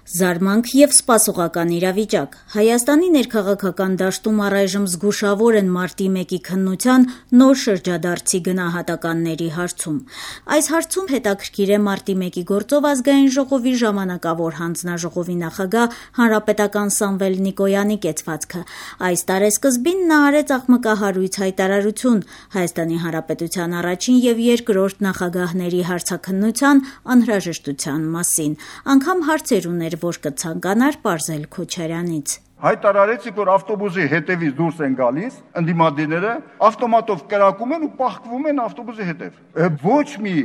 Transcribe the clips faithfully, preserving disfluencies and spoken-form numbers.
Զարմանք և սպասողական իրավիճակ։ Հայաստանի ներքաղաքական դաշտում առայժմ զգուշավոր են մարտի մեկի քննության նոր շրջադարձի գնահատականների հարցում։ Այս հարցում հետաքրքիր է մարտի մեկի գործով Ազգային ժողովի ժամանակավոր հանձնաժողովի նախագահ հանրապետական Սամվել Նիկոյանի կեցվածքը։ Այս տարեսկզբին նա արեց աղմկահարույց հայտարարություն Հայաստանի Հանրապետության առաջին և երկրորդ նախագահների հարցաքննության անհրաժեշտության մասին։ Անգամ հարցեր ուներ, որ կցանկանար պարզել Քոչարյանից։ Հայտարարեցիք, որ ավտոբուսի հետևից դուրս են գալիս, ընդդիմադիրները ավտոմատով կրակում են ու պահկվում են ավտոբուսի հետև։ Ոչ մի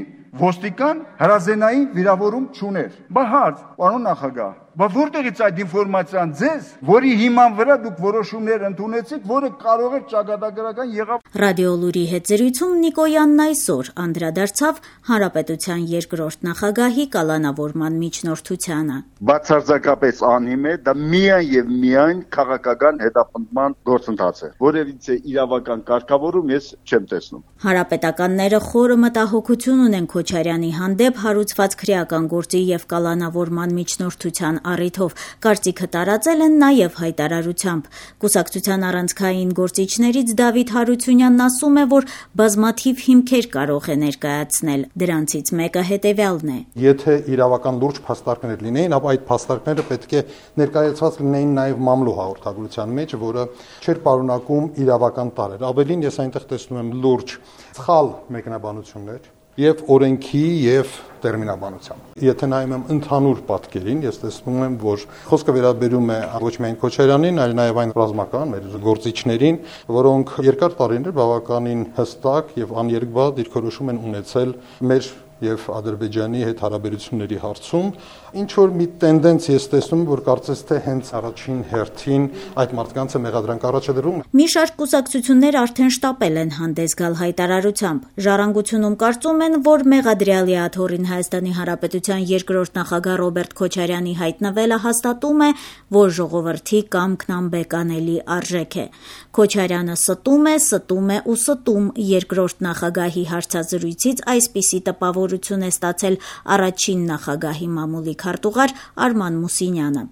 ոստիկան հրազենային վիրավորում չուներ։ Բա հարց, պարոն նախագահ, բա որտեղից այդ ինֆորմացիան ձեզ, որի հիման վրա դուք որոշումներ ընդունեցիք, որը կարող է ճակատագրական եղավ։ Ռադիոլուրի հետ զրույցում Նիկոյանն այսօր անդրադարձավ Հանրապետության երկրորդ նախագահի կալանավորման միջնորդությանը։ Բացարձակապես անհիմն է, դա միայն եւ միայն քաղաքական հետապնդման գործընթաց է, որևիցե իրավական կարգավորում ես չեմ տեսնում։ Հանրապետականները խորը մտահոգություն ունեն Քոչարյանի հանդեպ հարուցված քրեական գործի եւ կալանավորման միջնորդության առիթով, կարծիքը տարածել են նաև հայտարարությամբ։ Կուսակցության առանցքային գործիչներից Դավիթ Հարությունյանն ասում է, որ բազմաթիվ հիմքեր կարող է ներկայացնել։ Դրանցից մեկը հետևյալն է. Եթե իրավական լուրջ փաստարկներ լինեին, ապա այդ փաստարկները պետք է ներկայացված լինեին նաև մամլու հաղորդագրության մեջ, որը չէր պարունակում իրավական տարեր։ Ավելին, ես այնտեղ տեսնում եմ լուրջ սխալ մեկնաբանություններ եւ օրենքի եւ տերմինաբանությամբ։ Եթե նայում եմ ընդհանուր պատկերին, ես տեսնում եմ, որ խոսքը վերաբերում է ոչ միայն Քոչարյանին, այլ նաև այն ռազմական մեր գործիչներին, որոնք երկար տարիներ բավականին հստակ եւ աներկբա դիրքորոշում են ունեցել մեր եւ Ադրբեջանի հետ հարաբերությունների հարցում, ինչ որ մի տենդենց ես տեսնում, որ կարծես թե հենց առաջին հերթին այդ մարդկանց է մեղադրանք առաջադրում։ Մի շարք կուսակցություններ արդեն շտապել են հանդես գալ հայտարարությամբ։ Ժառանգությունում կարծում են, որ մեղադրյալի աթոռին Հայաստանի Հանրապետության երկրորդ նախագահ Ռոբերտ Քոչարյանի հայտնվելը հաստատում է, որ ժողովրդի կամքն անբեկանելի արժեք է։ Քոչարյանը ստում է, ստում է ու ստում երկրորդ նախագահի հարցազրույցից այսպիսի տպավորություն է ստացել առաջին նախագահի մամուլի քարտուղար Արման Մուսինյանը։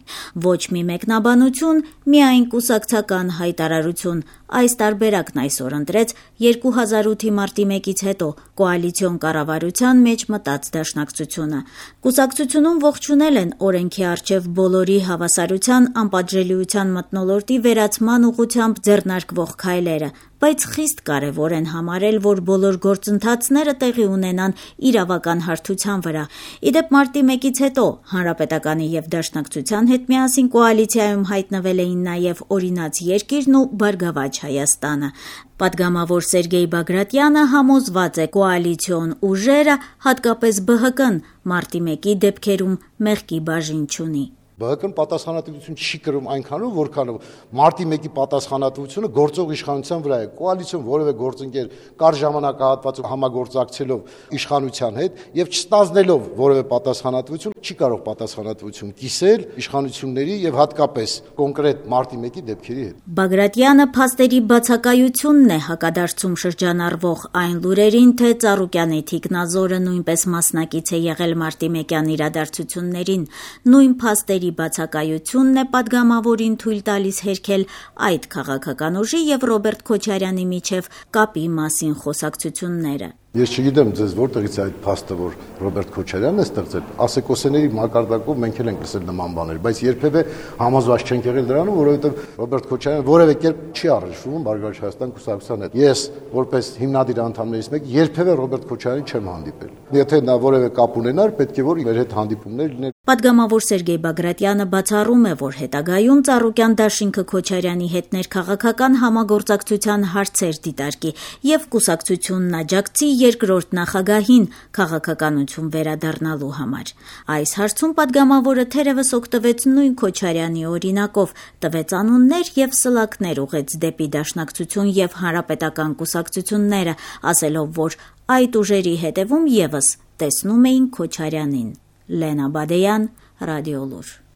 Ոչ մի մեկնաբանություն, միայն կուսակցական հայտարարություն։ Այս տարբերակն այսօր ընտրեց երկու հազար ութի մարտի մեկից հետո կոալիցիոն կառավարության մեջ մտած դաշնակցությունը։ Կուսակցությունում ողջունել են օրենքի առջև բոլորի հավասարության, անպատժելիության մթնոլորտի վերացման ուղղությամբ ձեռնարկվող քայլերը, բայց խիստ կարևոր են համարել, որ բոլոր գործընթացները տեղի ունենան իրավական հարթության վրա։ Իդեպ մարտի մեկից հետո Հանրապետականի եւ Դաշնակցության հետ միասին կոալիցիայում հայտնվել էին նաեւ Օրինաց երկիրն ու Բարգավաճ Հայաստանը։ Պատգամավոր Սերգեյ Բագրատյանը համոզված է կոալիցիոն ուժերը, հատկապես Բը Հը Կն, մարտի մեկի դեպքերում մեղքի բաժին չունի։ Բը Հը Կն պատասխանատվություն չի կրում այնքանով, որքանով մարտի մեկի պատասխանատվությունը գործող իշխանության վրա է։ Կոալիցիոն որևէ գործընկեր կար ժամանակահատվածում համագործակցելով իշխանության հետ եւ չստանձնելով որևէ պատասխանատվություն չի կարող պատասխանատվություն կիսել իշխանությունների եւ հատկապես կոնկրետ մարտի մեկի դեպքերի հետ։ Բագրատյանը փաստերի բացակայությունն է հակադարձում շրջանառվող այն լուրերին, թե Ծառուկյանի թիկնազորը նույնպես մասնակից է եղել մարտի մեկյան իրադարձություններին։ Նույն փաստերի բացակայությունն է պատգամավորին թույլ տալիս հերքել այդ քաղաքական ուժի եւ Ռոբերտ Քոչարյանի միջև կապի մասին խոսակցությունները։ Ես չգիտեմ ձեզ որտեղից է այդ փաստը, որ Ռոբերտ Քոչարյանն է ստեղծել։ Ասեկոսեների մակարդակով մենք էլ ենք լսել նման բաներ, բայց երբևէ համոզված չենք եղել դրանում, որովհետև Ռոբերտ Քոչարյանը որևէ կերպ չի առնչվում Բարգավաճ Հայաստան կուսակցության հետ։ Ես որպես հիմնադիր անդամներից մեկ երբևէ Ռոբերտ Քոչարյանին չեմ հանդիպել։ Եթե նա որևէ կապ ունենար, պետք է որ իր հետ հանդիպումներ լիներ։ Պատգամավոր Սերգեյ Բագրատյանը բացառում է, որ հետագայում Ծառուկյան դաշինքը Քոչարյանի հետ ներքաղաքական համագործակցության հարցեր դիտարկի եւ կուսակցությունն աջակցի երկրորդ նախագահին քաղաքականություն վերադառնալու համար։ Այս հարցում պատգամավորը թերևս օգտվեց նույն Քոչարյանի օրինակով, տվեց անուններ եւ սլաքներ ուղեց դեպի Դաշնակցություն եւ Հանրապետական կուսակցությունները, ասելով, որ այդ ուժերի հետևում եւս տեսնում էին Քոչարյանին։ Լենա Բադեյան, Ռադիոլուր։